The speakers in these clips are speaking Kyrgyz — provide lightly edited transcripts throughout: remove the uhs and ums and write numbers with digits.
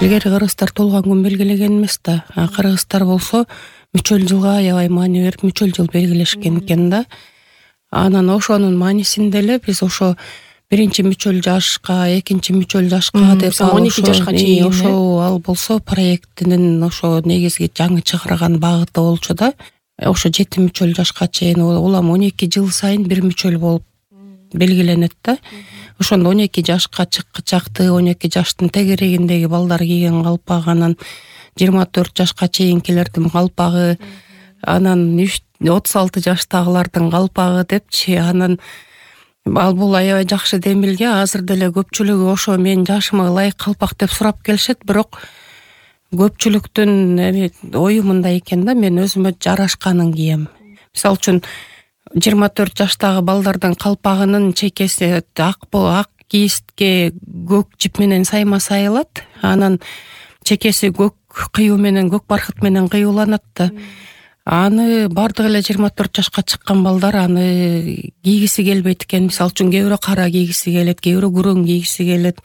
Илгери кыргыздар толгон күн белгилеген эмес да. Кыргыздар болсо мүчөл жылга аябай маани берип мүчөл жыл белгилешкен экен да. Анан ошонун маанисинде эле биз ошо биринчи мүчөл жашка, экинчи мүчөл жашка деп 12 жашка чейин ошо ал болсо проекттин ошо негизги жаңы чыгарган багыты болчу да. Ошо 7 мүчөл жашка чейин улам 12 жыл сайын бир мүчөл болуп белгиленет да. Ошондо 12 жашка чакты 12 жаштын тегерегиндеги балдар кийген калпак, анан 24 жашка чейинкилердин калпагы, анан 36 жаштагылардын калпагы депчи. Анан бул аябай жакшы демилге. Азыр деле көпчүлүгү ошо менин жашыма ылайык калпак деп сурап келишет, бирок көпчүлүктүн ою мындай экен да, мен өзүмө жарашканын кийем. Мисалы үчүн 24 жаштагы балдардын калпагынын чекеси ак кийистке көк жип менен сайма сайылат, анан чекеси көк кыюу менен, көк бархыт менен кыюуланат да. Аны бардыгы эле 24 жашка чыккан балдар аны кийгиси келбейт экен. Мисалы үчүн кээ бирөө кара кийгиси келет, кээ бирөө күрөң кийгиси келет,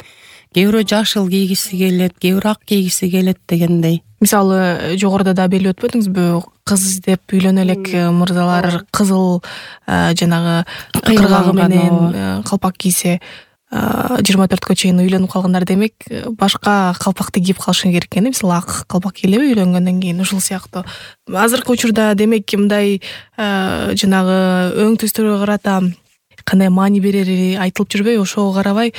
кээ бирөө жашыл кийгиси келет, кээ бирөө ак кийгиси келет дегендей. Мисалы жогоруда да белгилеп өтпөдүңүзбү, кыз издеп үйлөнө элек мырзалар кызыл жанагы кыргагы менен калпак кийсе 24кө чейин үйлөнүп калгандар, демек башка калпакты кийип калышы керек экен. Мисалы ак калпак кийлеби үйлөнгөндөн кийин, ушул сыяктуу. Азыркы учурда демек мындай жанагы өң түстөргө карата кандай маани берери айтылып жүрбөйбү? Ошого карабай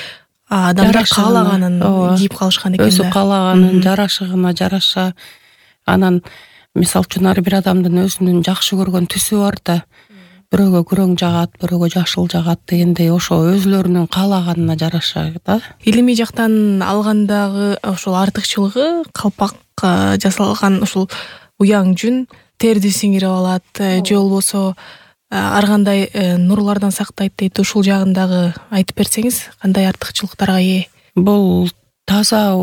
адамдар каалаганын кийип калышкан экен да. Өзү каалаганын жарашыгына жараша. Анан мисалы үчүн ар бир адамдын өзүнүн жакшы көргөн түсү бар да. Бирөөгө күрөң жагат, бирөөгө жашыл жагат дегендей, ошо өзүлөрүнүн каалаганына жараша да. Илимий жактан алгандагы ошол артыкчылыгы калпак жасалган ушул уяң жүн терди сиңирип алат, же болбосо ар кандай нурлардан сактайт дейт. Ушул жагындагы айтып берсеңиз, кандай артыкчылыктарга ээ? Бул таза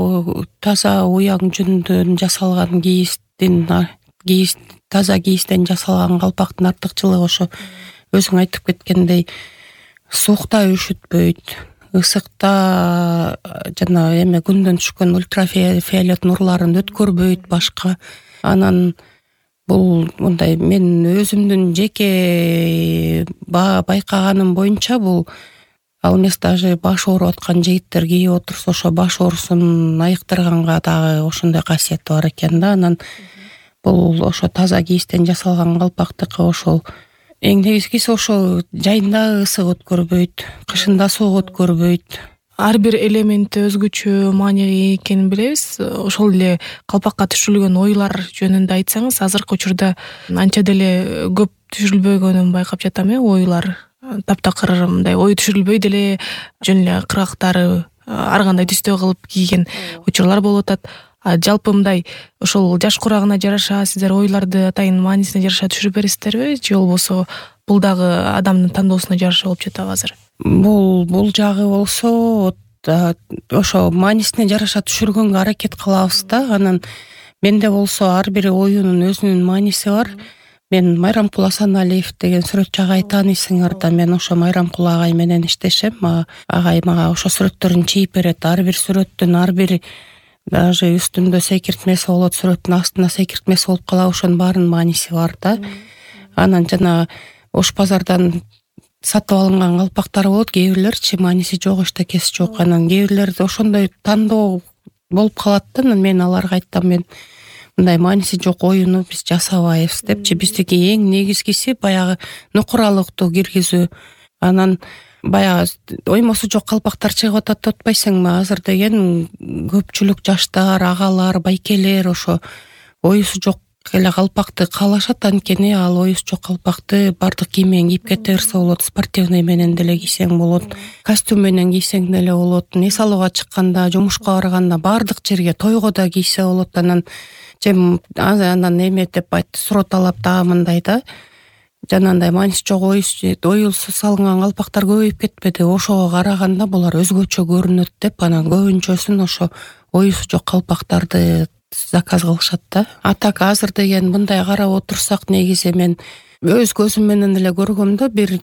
уяң жүндөн жасалган таза кийистен жасалган калпактын артыкчылыгы ошо өзүң айтып кеткендей, суукта үшүтпөйт, ысыкта жана күндөн түшкөн ультрафиолет нурларын өткөрбөйт башка. Анан бул мындай, мен өзүмдүн жеке байкаганым боюнча бул ал эмес, даже баш ооруп аткан жигиттер кийип отурса ошо баш оорусун айыктырганга дагы ошондой касиети бар экен да. Анан бул ошо таза кийистен жасалган калпактыкы ошол эң негизгиси ошо жайында ысык өткөрбөйт, кышында суук өткөрбөйт. Ар бир элементи өзгөчө мааниге экенин билебиз. Ошол эле калпакка түшүрүлгөн оюлар жөнүндө айтсаңыз, азыркы учурда анча деле көп түшүрүлбөгөнүн байкап жатам. Оюлар таптакыр мындай ою түшүрүлбөй деле жөн эле кыргактары ар кандай түстө кылып кийген учурлар болуп атат. Жалпы мындай ошол жаш курагына жараша сиздер оюларды атайын маанисине жараша түшүрүп бересиздерби, же болбосо бул дагы адамдын тандоосуна жараша болуп жатабы азыр? Бул жагы болсо ошо маанисине жараша түшүргөнгө аракет кылабыз да. Анан менде болсо ар бир оюнун өзүнүн мааниси бар. Мен Майрамкул Асаналиев деген сүрөтчү агай тааныйсыңар да. Мен ошо Майрамкул агай менен иштешем. Агай мага ошо сүрөттөрүн чийип берет. Ар бир сүрөттүн ар бир даже үстүндө секиртмеси болот, сүрөттүн астына секиртмеси болуп калат. Ошонун баарынын мааниси бар да. Анан жана Ош базардан сатып алынган калпактар болот, кээ бирлерчи мааниси жок, эчтекеси жок. Анан кээ бирлерде ошондой тандоо болуп калат да. Мен аларга айттым, мен мындай мааниси жок оюну биз жасабайбыз депчи. Биздики эң негизгиси баягы нукуралыктуу киргизүү. Анан баягы оймосу жок калпактар чыгып атат деп атпайсыңбы? Азыр деген көпчүлүк жаштар, агалар, байкелер ошо оюсу жок эле калпакты каалашат. Анткени ал оюсу жок калпакты бардык кийим менен кийип кете берсе болот, спортивный менен деле кийсең болот, костюм менен кийсең деле болот, эс алууга чыкканда, жумушка барганда, бардык жерге, тойго да кийсе болот. Анан эме деп айтты, суроо талап дагы мындай да. Жанагындай мааниси жок оюсу салынган калпактар көбөйүп кетпеди. Ошого караганда булар өзгөчө көрүнөт деп, анан көбүнчөсүн ошо оюсу жок калпактарды заказ кылышат да. Атак азыр деген мындай карап отурсак, негизи мен өз көзүм менен эле көргөм да. Бир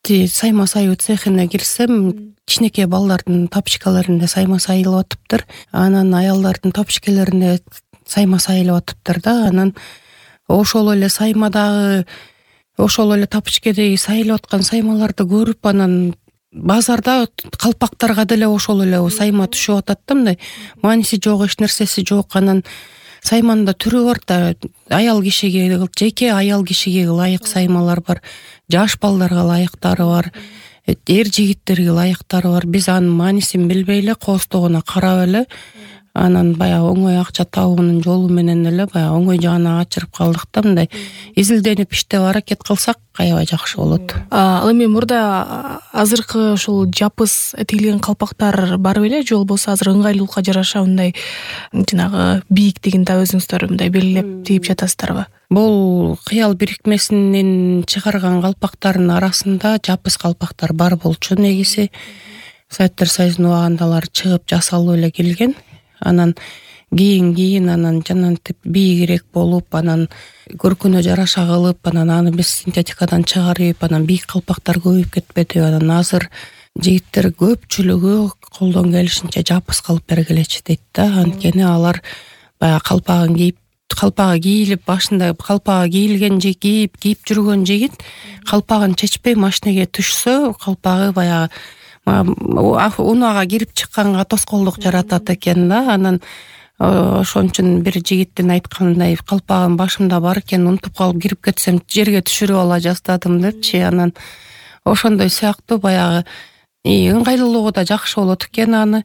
сайма сайуу цехине кирсем, кичинекей балдардын тапочкаларында сайма сайылып атыптыр. Анан аялдардын тапочкаларында сайма сайылып атыптыр да. Анан ошол эле саймадагы, ошол эле тапочкедеги сайылып аткан саймаларды көрүп, анан базарда калпактарга деле ошол эле сайма түшүп атат да, мындай мааниси жок, эч нерсеси жок. Анан сайманын да түрү бар да, аял кишиге, жеке аял кишиге ылайык саймалар бар, жаш балдарга ылайыктары бар, эр жигиттерге ылайыктары бар. Биз анын маанисин билбей эле, кооздогуна карап эле, анан баягы оңой акча табуунун жолу менен эле баягы оңой жагына качырып калдык да. Мындай изилденип иштеп аракет кылсак аябай жакшы болот. Ал эми мурда азыркы ушул жапыс тигилген калпактар бар беле, же болбосо азыр ыңгайлуулукка жараша мындай жанагы бийиктигин да өзүңүздөр мындай белгилеп тигип жатасыздарбы? Бул кыял бирикмесинин чыгарган калпактардын арасында жапыс калпактар бар болчу. Негизи Советтер Союзунун убагында алар чыгып жасалып эле келген. Анан кийин анан жанагынтип бийигирээк болуп, анан көркүнө жараша кылып, анан аны биз синтетикадан чыгарып, анан бийик калпактар көбөйүп кетпеди. Анан азыр жигиттер көпчүлүгү колдон келишинче жапыс кылып бергилечи дейт да. Анткени алар баягы калпагы кийилип, башында калпагы кийилген кийип жүргөн жигит калпагын чечпей машинеге түшсө, калпагы баягы унаага кирип чыкканга тоскоолдук жаратат экен да. Анан ошон үчүн бир жигиттин айтканындай, калпагым башымда бар экен, унутуп калып кирип кетсем жерге түшүрүп ала жаздадым депчи. Анан ошондой сыяктуу баягы ыңгайлуулугу да жакшы болот экен аны.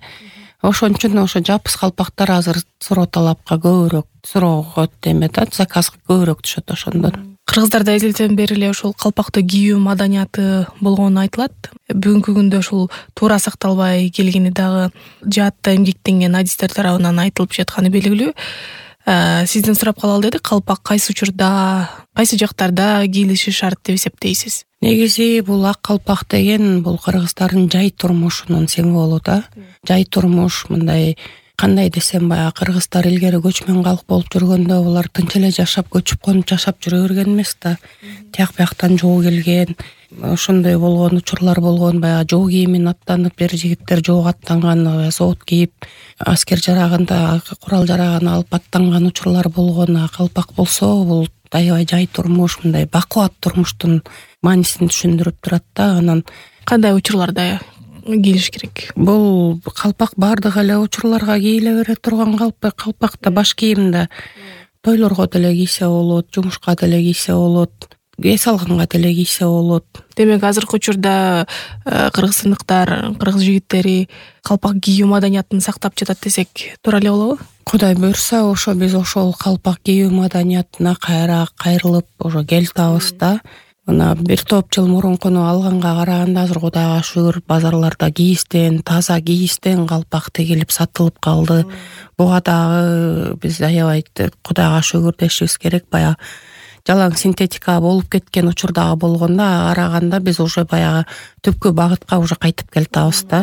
Ошон үчүн ошо жапыс калпактар азыр суроо талапка көбүрөөк, суроого да, заказга көбүрөөк түшөт ошондон. Кыргыздарда эзелтен бери эле ушул калпакты кийүү маданияты болгону айтылат. Бүгүнкү күндө ушул туура сакталбай келгени дагы жаатта эмгектенген адистер тарабынан айтылып жатканы белгилүү. Сизден сурап калалы дедик, калпак кайсы учурда, кайсы жактарда кийилиши шарт деп эсептейсиз? Негизи бул ак калпак деген бул кыргыздардын жай турмушунун символу да. Жай турмуш, мындай кандай десем, баягы кыргыздар илгери көчмөн калк болуп жүргөндө булар тынч эле жашап, көчүп конуп жашап жүрө берген эмес да. Тияк бияктан жоо келген, ошондой болгон учурлар болгон. Баягы жоо кийимин аттанып, эр жигиттер жоого аттанган, сот кийип, аскер жарагында курал жарагын алып аттанган учурлар болгон. Калпак болсо бул аябай жай турмуш, мындай бакубат турмуштун маанисин түшүндүрүп турат да. Анан кандай учурларда кийилиш керек? Бул калпак бардык эле учурларга кийиле бере турган калпакта баш кийим да. Тойлорго деле кийсе болот, жумушка деле кийсе болот, эс алганга деле кийсе болот. Демек азыркы учурда кыргызстандыктар, кыргыз жигиттери калпак кийүү маданиятын сактап жатат десек туура эле болобу? Кудай буйрса, ошо биз ошол калпак кийүү маданиятына кайра кайрылып ошо келтабыз да. Мына бир топ жыл мурункуну алганга караганда азыр Кудайга шүгүр базарларда кийистен, таза кийистен калпак тигилип сатылып калды. Буга дагы биз аябай Кудайга шүгүр дешибиз керек. Баягы жалаң синтетика болуп кеткен учурдагы болгондо караганда биз уже баягы түпкү багытка уже кайтып келатабыз да.